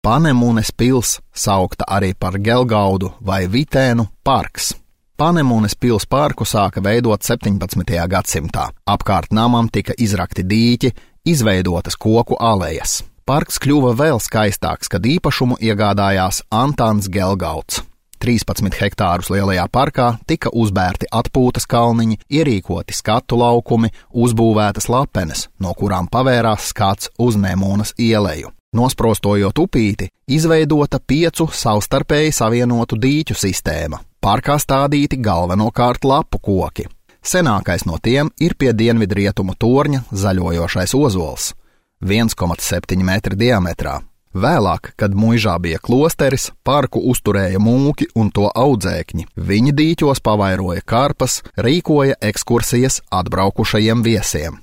Panemunes pils, saukta arī par Gelgaudu vai Vitēnu parks. Panemunes pils parku sāka veidot 17. gadsimtā. Apkārt namam tika izrakti dīķi, izveidotas koku alejas. Parks kļuva vēl skaistāks, kad īpašumu iegādājās Antāns Gelgauds. 13 hektārus lielajā parkā tika uzbērti atpūtas kalniņi, ierīkoti skatu laukumi, uzbūvētas lapenes, no kurām pavērās skats uz Nemunas ieleju. Nosprostojot upīti, izveidota 5 savstarpēji savienotu dīķu sistēma. Parkā stādīti galvenokārt lapu koki. Senākais no tiem ir pie dienvidrietumu torņa zaļojošais ozols, 1,7 metri diametrā. Vēlāk, kad Muižā bija klosteris, parku uzturēja mūki un to audzēkņi. Viņi dīķos pavairoja karpas, rīkoja ekskursijas atbraukušajiem viesiem.